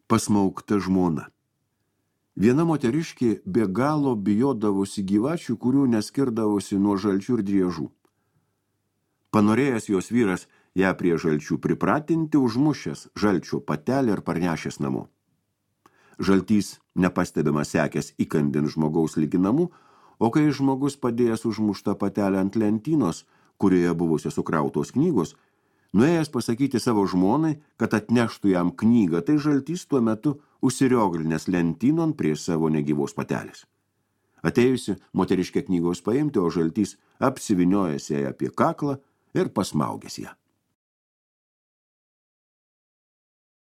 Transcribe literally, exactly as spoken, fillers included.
Pasmaugta žmona. Viena moteriškė be galo bijodavosi gyvačių, kurių neskirdavosi nuo žalčių ir driežų. Panorėjęs jos vyras ją prie žalčių pripratinti, užmušęs žalčio patelę ir parnešęs namo. Žaltys nepastebimas sekęs įkandin žmogaus ligi namų, o kai žmogus padėjęs užmuštą patelę ant lentynos, kurioje buvusios sukrautos knygos, nuėjęs pasakyti savo žmonai, kad atneštų jam knygą, tai žaltys tuo metu užsirioglinęs lentynon prie savo negyvos patelės. Atėjusi moteriškė knygos paimti, o žaltys apsiviniojęs ją apie kaklą ir pasmaugęs ją.